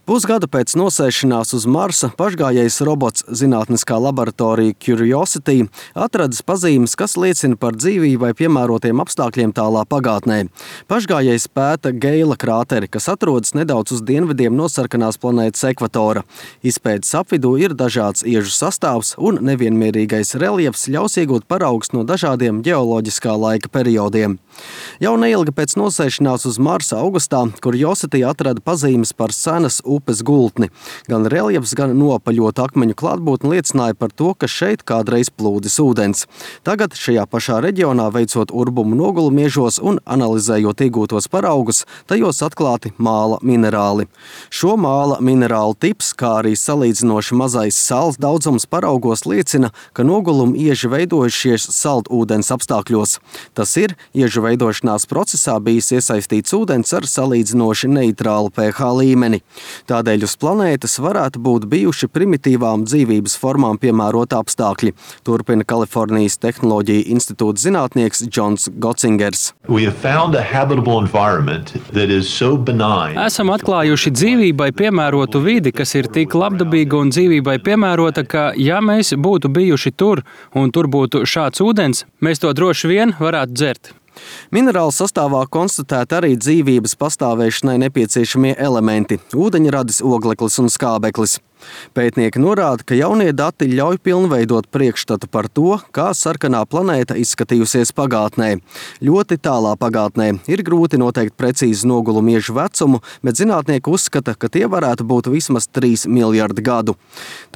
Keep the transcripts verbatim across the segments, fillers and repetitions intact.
Pusgadu pēc nosēšanās uz Marsa pašgājējs robots zinātniskā laboratorija Curiosity atradis pazīmes, kas liecina par dzīvībai piemērotiem apstākļiem tālā pagātnē. Pašgājējs pēta Geila krāteri, kas atrodas nedaudz uz dienvidiem no sarkanās planētas ekvatora. Izpētes apvidū ir dažāds iežu sastāvs un nevienmierīgais reljefs ļaus iegūt paraugus no dažādiem ģeoloģiskā laika periodiem. Jau neilgi pēc nosēšanās uz Marsa augustā Curiosity atrada pazīmes par senas upes gultni. Gan reljefs, gan nopaļotu akmeņu klātbūtne liecināja par to, ka šeit kādreiz plūdis ūdens. Tagad šajā pašā reģionā veicot urbumu nogulumiežos un analizējot iegūtos paraugus, tajos atklāti māla minerāli. Šo māla minerālu tips, kā arī salīdzinoši mazais sāls daudzums paraugos liecina, ka nogulumi ieži veidojušies saldūdens apstākļos. Tas ir, iežu veidošanās procesā bijis iesaistīts ūdens ar salīdzinoši neitrālu pH līmeni. Tādēļ uz planētas varētu būt bijuši primitīvām dzīvības formām piemēroti apstākļi, turpina Kalifornijas Tehnoloģiju institūta zinātnieks Džons Gocingers. So Esam atklājuši dzīvībai piemērotu vidi, kas ir tik labdabīga un dzīvībai piemērota, ka, ja mēs būtu bijuši tur un tur būtu šāds ūdens, mēs to droši vien varētu dzert. Minerālu sastāvā konstatēti arī dzīvības pastāvēšanai nepieciešamie elementi – ūdeņradis, ogleklis un skābeklis. Pētnieki norāda, ka jaunie dati ļauj pilnveidot priekšstatu par to, kā sarkanā planēta izskatījusies pagātnē. Ļoti tālā pagātnē ir grūti noteikt precīzi nogulumiežu vecumu, bet zinātnieki uzskata, ka tie varētu būt vismaz trīs miljardi gadu.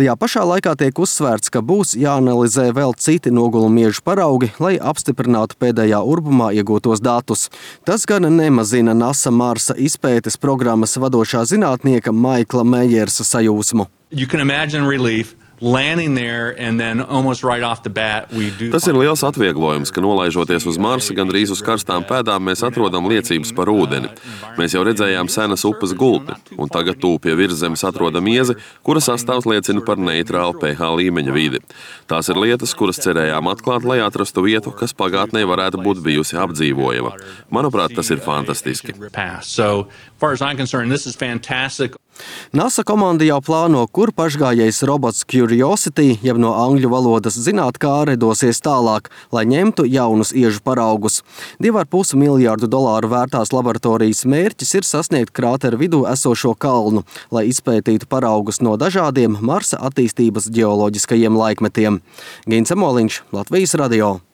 Tajā pašā laikā tiek uzsvērts, ka būs jāanalizē vēl citi nogulumiežu paraugi, lai apstiprinātu pēdējā urbumā iegūtos datus. Tas gan nemazina NASA Marsa izpētes programmas vadošā zinātnieka Maikla Mejersa sajūsmu. You can imagine relief landing there and then almost right off the bat we do. Tas ir liels atvieglojums, ka nolaižoties uz Marsa gandrīz uz karstām pēdām mēs atrodam liecības par ūdeni. Mēs jau redzējām senas upes gultni, un tagad tūp pie virszemes atrodam iezi, kura sastāvs liecina par neitrālu pH līmeņa vidi. Tās ir lietas, kuras cerējām atklāt, lai atrastu vietu, kas pagātnē varētu būt bijusi apdzīvojama. Manuprāt, tas ir fantastiski. So, far as I'm concerned, this is fantastic. NASA komanda jau plāno, kur pašgājējs robots Curiosity, jeb no angļu valodas zinātkāre, dosies tālāk, lai ņemtu jaunus iežu paraugus. Divu ar pus miljārdu dolāru vērtās laboratorijas mērķis ir sasniegt krāteru vidū esošo kalnu, lai izpētītu paraugus no dažādiem Marsa attīstības ģeoloģiskajiem laikmetiem. Gins Emoliņš, Latvijas radio.